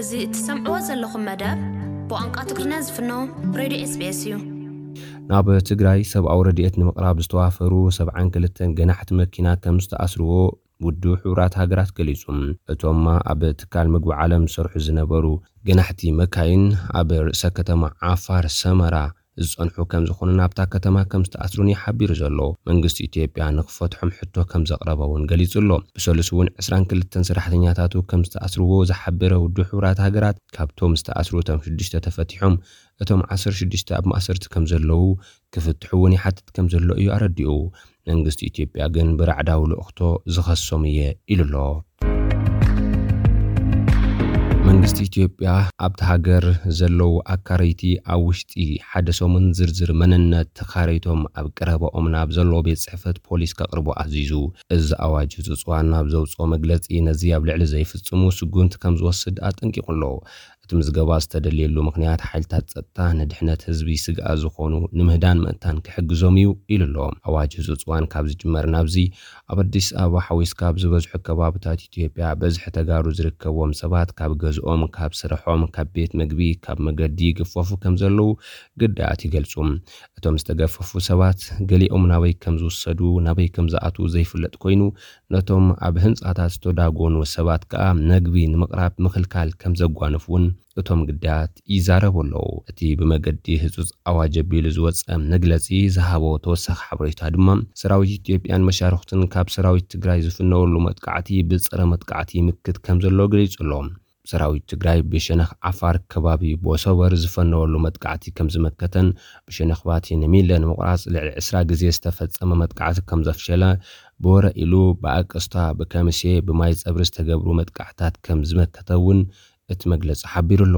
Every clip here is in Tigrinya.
እዚ እትሰምዕዎ ዘለኹም መደብ ብቋንቋ ትግርኛ ዝፍኖ ሬድዮ ኤስቢኤስ እዩ። ናብ ትግራይ ሰብኣዊ ረድኤት ንምቕራብ ዝተዋፈሩ ሰብዓን ክልተን ገናሕቲ መኪና ከም ዝተኣስርዎ ውድብ ሕቡራት ሃገራት ገሊጹ። እቶም ኣብ ትካል ምግቢ ዓለም ዝሰርሑ ዝነበሩ ገናሕቲ መካይን ኣብ ርእሰ ከተማ ዓፋር ሰመራ ዝጸንሑ ከም ዝኾኑ ናብታ ከተማ ከም ዝተኣስሩን እዩ ሓቢሩ ዘሎ። መንግስቲ ኢትዮጵያ ንክፈትሖም ሕቶ ከም ዘቕረበ እውን ገሊጹ ኣሎ። ብሰሉስ እውን ዕስራን ክልተን ሰራሕተኛታቱ ከም ዝተኣስርዎ ዝሓበረ ውድብ ሕቡራት ሃገራት ካብቶም ዝተኣስሩ እቶም ሽዱሽተ ተፈቲሖም እቶም ዓሰርተ ሽዱሽተ ኣብ ማእሰርቲ ከም ዘለዉ ክፍትሑ እውን ይሓትት ከም ዘሎ እዩ ኣረዲኡ። መንግስቲ ኢትዮጵያ ግን ብራዕዳዊ ልእኽቶ ዝኸሶም እየ ኢሉ ኣሎ። መንግስቲ ኢትዮጵያ ኣብቲ ሃገር ዘለዉ ኣካረይቲ ኣብ ውሽጢ ሓደ ሰሙን ዝርዝር መንነት ተኻረይቶም ኣብ ቀረባኦም ናብ ዘለዎ ቤት ጽሕፈት ፖሊስ ከቕርቡ ኣዚዙ። እዚ ኣዋጅ እዚ ጽዋን ናብ ዘውፅኦ መግለፂ ነዚ ኣብ ልዕሊ ዘይፍጽሙ ስጉምቲ ከም ዝወስድ ኣጠንቂቑ ኣሎ። እቲ ምዝገባ ዝተደልየሉ ምኽንያት ሓይልታት ጸጥታ ንድሕነት ህዝቢ ስግኣት ዝኾኑ ንምህዳን ምእንታን ክሕግዞም እዩ ኢሉ ኣሎ። ኣዋጅ እዚ ጽዋን ካብ ዝጅመር ናብዚ ኣብ ኣዲስ ኣበባ ሓዊስካ ኣብ ዝበዝሑ ከባብታት ኢትዮጵያ በዝሒ ተጋሩ ዝርከብዎም ሰባት ካብ ገዝኦም፣ ካብ ስርሖም፣ ካብ ቤት ምግቢ፣ ካብ መገዲ ይግፈፉ ከም ዘለዉ ግዳያት ይገልጹ። እቶም ዝተገፈፉ ሰባት ገሊኦም ናበይ ከም ዝውሰዱ፣ ናበይ ከም ዝኣትዉ ዘይፍለጥ ኮይኑ፣ ነቶም ኣብ ህንጻታት ዝተዳጎኑ ሰባት ከኣ መግቢ ንምቕራብ ምኽልካል ከም ዘጓንፍ እውን እቶም ግዳያት ይዛረቡ ኣለዉ። እቲ ብመገዲ ህጹጽ ኣዋጅ ኣቢሉ ዝወጸ መግለጺ ዝሃቦ ተወሳኺ ሓበሬታ ድማ፣ ሰራዊት ኢትዮጵያን መሻርኽቱን ካብ ሰራዊት ትግራይ ዝፍነወሉ መጥቃዕቲ ብጸረ መጥቃዕቲ ይምክት ከም ዘሎ ገሊጹ ኣሎ። ሰራዊት ትግራይ ብሸነኽ ዓፋር ከባቢ ቦሶበር ዝፈነወሉ መጥቃዕቲ ከም ዝመከተን፣ ብሸነኽ ባቲ ንሚለ ንምቑራጽ ልዕሊ ዕስራ ግዜ ዝተፈጸመ መጥቃዕቲ ከም ዘፍሸለ፣ ብወረ ኢሉ ብኣቀስታ፣ ብከምሴ፣ ብማይ ጸብሪ ዝተገብሩ መጥቃዕታት ከም ዝመከተ እውን እቲ መግለጺ ሓቢሩ ኣሎ።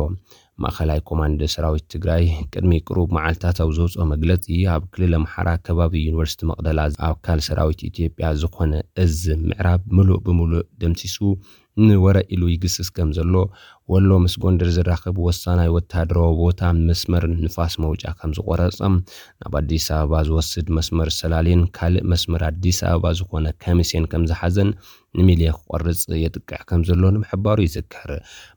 ማእኸላይ ኮማንድ ሰራዊት ትግራይ ቅድሚ ቅሩብ መዓልታት ኣብ ዘውፅኦ መግለፂ፣ ኣብ ክልል ኣምሓራ ከባቢ ዩኒቨርሲቲ መቕደላ ኣካል ሰራዊት ኢትዮጵያ ዝኾነ እዝ ምዕራብ ምሉእ ብምሉእ ደምሲሱ ንወረ ኢሉ ይግስስ ከም ዘሎ፣ ወሎ ምስ ጎንደር ዝራኸብ ወሳናይ ወታደራዊ ቦታ መስመር ንፋስ መውጫ ከም ዝቆረፀ፣ ናብ ኣዲስ ኣበባ ዝወስድ መስመር ሰላሌን ካልእ መስመር ኣዲስ ኣበባ ዝኾነ ከሚሴን ከም ዝሓዘን፣ ንሚልየ ክቆርጽ የጥቅዕ ከም ዘሎ ንምሕባሩ ይዝከር።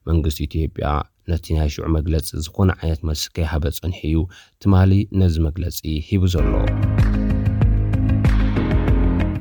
መንግስቲ ኢትዮጵያ ነቲ ናይ ሽዑ መግለጺ ዝኾነ ዓይነት መልሲ ከይሃበ ጸኒሑ እዩ ትማሊ ነዚ መግለጺ ሂቡ ዘሎ።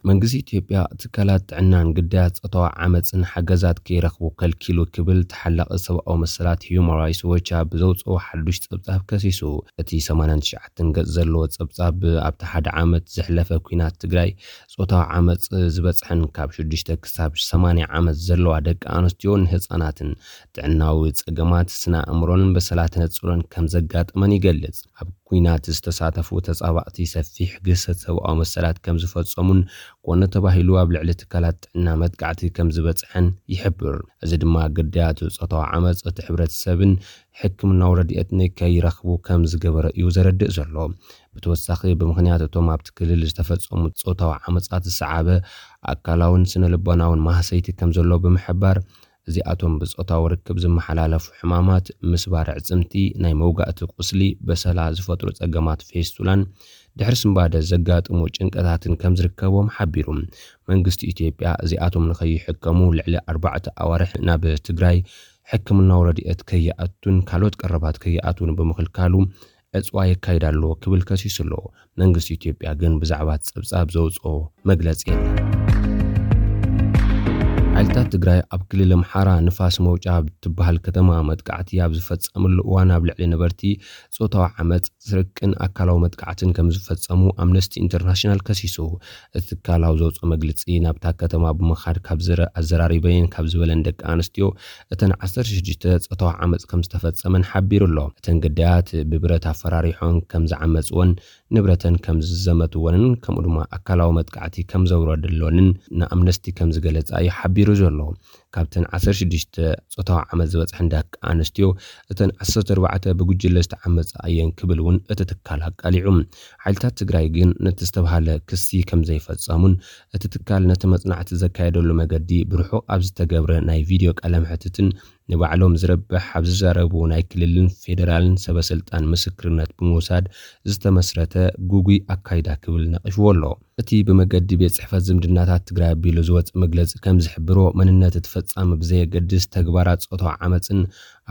መንግስቲ ኢትዮጵያ ትካላት ጥዕናን ግዳያት ጾታዊ ዓመጽን ሓገዛት ከይረኽቡ ከልኪሉ ክብል ተሓላቒ ሰብኣዊ መሰላት ሂዩማን ራይትስ ዎች ኣብ ዘውጽኦ ሓዱሽ ጸብጻብ ከሲሱ። እቲ ሰማንያን ትሽዓተን ገጽ ዘለዎ ጸብጻብ ኣብቲ ሓደ ዓመት ዘሕለፈ ኲናት ትግራይ ጾታዊ ዓመጽ ዝበጽሐን ካብ ሽዱሽተ ክሳብ ሰማንያ ዓመት ዘለዋ ደቂ ኣንስትዮን ህጻናትን ጥዕናዊ ጸገማት ስነ ኣእምሮን በሰላ ተነጽሎን ከም ዘጋጠመን ይገልጽ። ኣብ ኲናት ዝተሳተፉ ተጻባእቲ ሰፊሕ ግህሰት ሰብኣዊ መሰላት ከም ዝፈጸሙን ኮነ ተባሂሉ ኣብ ልዕሊ ትካላት ጥዕና መጥቃዕቲ ከም ዝበጽሐን ይሕብር። እዚ ድማ ግዳያት ጾታዊ ዓመጽ እቲ ሕብረተሰብን ሕክምናዊ ረድኤት ንከይረኽቡ ከም ዝገበረ እዩ ዘረድእ ዘሎ። ብተወሳኺ ብምኽንያት እቶም ኣብቲ ክልል ዝተፈጸሙ ጾታዊ ዓመጻት ዝሰዓበ ኣካላውን ስነ ልቦናውን ማህሰይቲ ከም ዘሎ ብምሕባር፣ እዚኣቶም ብጾታዊ ርክብ ዝመሓላለፉ ሕማማት፣ ምስባር ኣዕጽምቲ፣ ናይ መውጋእቲ ቁስሊ፣ በሰላ ዝፈጥሩ ጸገማት ፌስቱላን ድሕሪ ስንባደ ዘጋጥሙ ጭንቀታትን ከም ዝርከቦም ሓቢሩ። መንግስቲ ኢትዮጵያ እዚኣቶም ንኸይሕከሙ ልዕሊ ኣርባዕተ ኣዋርሕ ናብ ትግራይ ሕክምናዊ ረድኤት ከይኣቱን ካልኦት ቀረባት ከይኣትውን ብምኽልካሉ ዕጽዋ የካይድ ኣሎ ክብል ከሲሱ ኣሎ። መንግስቲ ኢትዮጵያ ግን ብዛዕባ እቲ ጸብጻብ ዘውጽኦ መግለጺ የለን። ሓይልታት ትግራይ ኣብ ክልል ኣምሓራ ንፋስ መውጫ ኣብ ትበሃል ከተማ መጥቃዕቲ ኣብ ዝፈጸምሉ እዋን ኣብ ልዕሊ ነበርቲ ጾታዊ ዓመጽ፣ ስርቅን ኣካላዊ መጥቃዕትን ከም ዝፈጸሙ ኣምነስቲ ኢንተርናሽናል ከሲሱ። እቲ ትካል ኣብ ዘውጽኦ መግለጺ ናብታ ከተማ ብምኻድ ካብ ዝረ-፣ ኣዘራሪበየን ካብ ዝበለን ደቂ ኣንስትዮ እተን ዓሰርተ ሽዱሽተ ጾታዊ ዓመጽ ከም ዝተፈጸመን ሓቢሩ ኣሎ። እተን ግዳያት ብብረት ኣፈራሪሖም ከም ዝዓመጽወን ንብረተን ከም ዝዘመትወንን ከምኡ ድማ ኣካላዊ መጥቃዕቲ ከም ዘውረድሎንን ንኣምነስቲ ከም ዝገለጻ እዩ ሓቢሩ ዘሎ። ካብተን ዓሰርተ ሽዱሽተ ጾታዊ ዓመጽ ዝበጽሐን ደቂ ኣንስትዮ እተን ዓሰርተ ኣርባዕተ ብጉጅለ ዝተዓመጻ እየን ክብል እውን እቲ ትካል ኣቃሊዑ። ሓይልታት ትግራይ ግን ነቲ ዝተባሃለ ክሲ ከም ዘይፈጸሙን እቲ ትካል ነቲ መጽናዕቲ ዘካየደሉ መገዲ ብርሑቕ ኣብ ዝተገብረ ናይ ቪድዮ ቃለ መሕትትን ንባዕሎም ዝረብሕ ኣብ ዝዛረቡ ናይ ክልልን ፌደራልን ሰበ ስልጣን ምስክርነት ብምውሳድ ዝተመስረተ ጉጉይ ኣካይዳ ክብል ነቒፍዎ ኣሎ። እቲ ብመገዲ ቤት ጽሕፈት ዝምድናታት ትግራይ ኣቢሉ ዝወጽእ መግለጺ ከም ዝሕብሮ፣ መንነት እቲ ፍጻመ ብዘየገድስ ተግባራት ጾታዊ ዓመፅን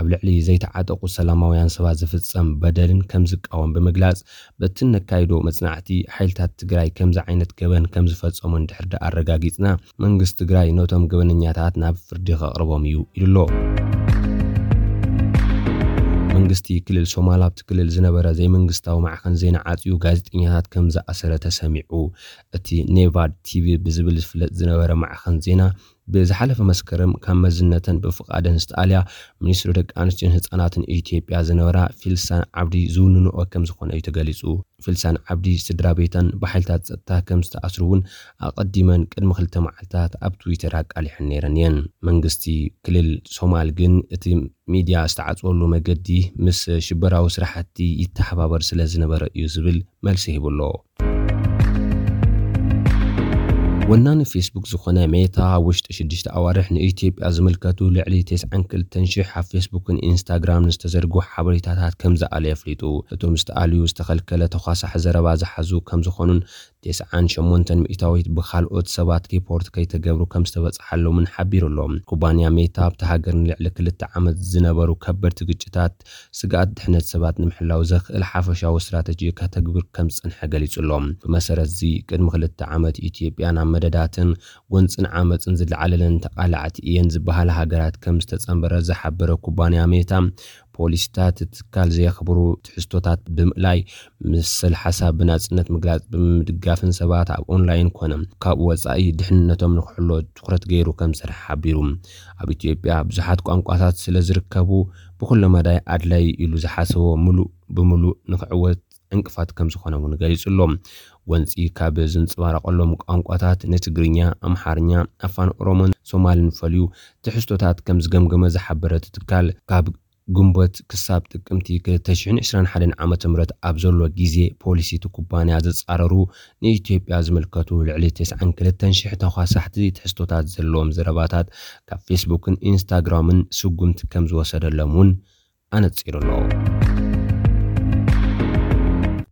ኣብ ልዕሊ ዘይተዓጠቑ ሰላማውያን ሰባት ዝፍጸም በደልን ከም ዝቃወም ብምግላጽ፣ በቲ ነካይዶ መጽናዕቲ ሓይልታት ትግራይ ከምዚ ዓይነት ገበን ከም ዝፈጸሙ እንድሕር ደኣ ኣረጋጊጽና፣ መንግስቲ ትግራይ ነቶም ገበነኛታት ናብ ፍርዲ ከቕርቦም እዩ ኢሉ ኣሎ። መንግስቲ ክልል ሶማል ኣብቲ ክልል ዝነበረ ዘይመንግስታዊ ማዕኸን ዜና ዓጽዩ ጋዜጠኛታት ከም ዝኣሰረ ተሰሚዑ። እቲ ኔቫድ ቲቪ ብዝብል ዝፍለጥ ዝነበረ ማዕኸን ዜና ብዝሓለፈ መስከረም ካብ መዝነተን ብፍቓደን ዝተኣልያ ሚኒስትሪ ደቂ ኣንስትዮን ህፃናትን ኢትዮጵያ ዝነበራ ፊልሳን ዓብዲ ዝውንንኦ ከም ዝኾነ እዩ ተገሊፁ። ፊልሳን ዓብዲ ስድራ ቤተን ብሓይልታት ፀጥታ ከም ዝተኣስሩ እውን ኣቐዲመን ቅድሚ ክልተ መዓልታት ኣብ ትዊተር ኣቃሊሐን ነይረን እየን። መንግስቲ ክልል ሶማል ግን እቲ ሚድያ ዝተዓፅወሉ መገዲ ምስ ሽበራዊ ስራሕቲ ይተሓባበር ስለ ዝነበረ እዩ ዝብል መልሲ ሂቡ ኣሎ። ወናኒ ፌስቡክ ዝኾነ ሜታ ኣብ ውሽጢ ሽዱሽተ ኣዋርሕ ንኢትዮጵያ ዝምልከቱ ልዕሊ ተስዓን ክልተን ሽሕ ኣብ ፌስቡክን ኢንስታግራምን ዝተዘርግሑ ሓበሬታታት ከም ዝኣለ የፍሊጡ። እቶም ዝተኣልዩ ዝተኸልከለ ተኳሳሒ ዘረባ ዝሓዙ ከም ዝኾኑን ተስዓን ሸሞንተን ሚእታዊት ብኻልኦት ሰባት ሪፖርት ከይተገብሩ ከም ዝተበፅሓሎምን ሓቢሩ ኣሎ። ኩባንያ ሜታ ኣብቲ ሃገር ንልዕሊ ክልተ ዓመት ዝነበሩ ከበድቲ ግጭታት ስግኣት ድሕነት ሰባት ንምሕላው ዘኽእል ሓፈሻዊ ስትራተጂ ከተግብር ከም ዝጸንሐ ገሊጹ ኣሎ። ብመሰረት እዚ ቅድሚ ክልተ ዓመት ኢትዮጵያ ናብ መደዳትን ጎንጽን ዓመጽን ዝለዓለለን ተቓላዕቲ እየን ዝበሃላ ሃገራት ከም ዝተጸንበረ ዝሓበረ ኩባንያ ሜታ፣ ፖሊሲታት እቲ ትካል ዘየኽብሩ ትሕዝቶታት ብምእላይ፣ መሰል ሓሳብ ብናጽነት ምግላጽ ብምድጋፍን ሰባት ኣብ ኦንላይን ኮነ ካብኡ ወጻኢ ድሕንነቶም ንክሕሎ ትኹረት ገይሩ ከም ዝሰርሐ ሓቢሩ። ኣብ ኢትዮጵያ ብዙሓት ቋንቋታት ስለ ዝርከቡ፣ ብኹለ መዳይ ኣድላይ ኢሉ ዝሓሰቦ ምሉእ ብምሉእ ንክዕወት ዕንቅፋት ከም ዝኾነ እውን ገሊጹ ኣሎ። ጎንጺ ካብ ዝንጸባረቐሎም ቋንቋታት ንትግርኛ፣ ኣምሓርኛ፣ ኣፋን ኦሮሞን ሶማልን ፈልዩ ትሕዝቶታት ከም ዝገምገመ ዝሓበረ እቲ ትካል፣ ካብ ግንቦት ክሳብ ጥቅምቲ ክልተ ሽሕን ዕስራን ሓደን ዓመተ ምህረት ኣብ ዘሎ ግዜ ፖሊሲ እቲ ኩባንያ ዝጻረሩ ንኢትዮጵያ ዝምልከቱ ልዕሊ ተስዓን ክልተን ሽሕ ተኳሳሕቲ ትሕዝቶታት ዘለዎም ዘረባታት ካብ ፌስቡክን ኢንስታግራምን ስጉምቲ ከም ዝወሰደሎም እውን ኣነጺሩ ኣሎ።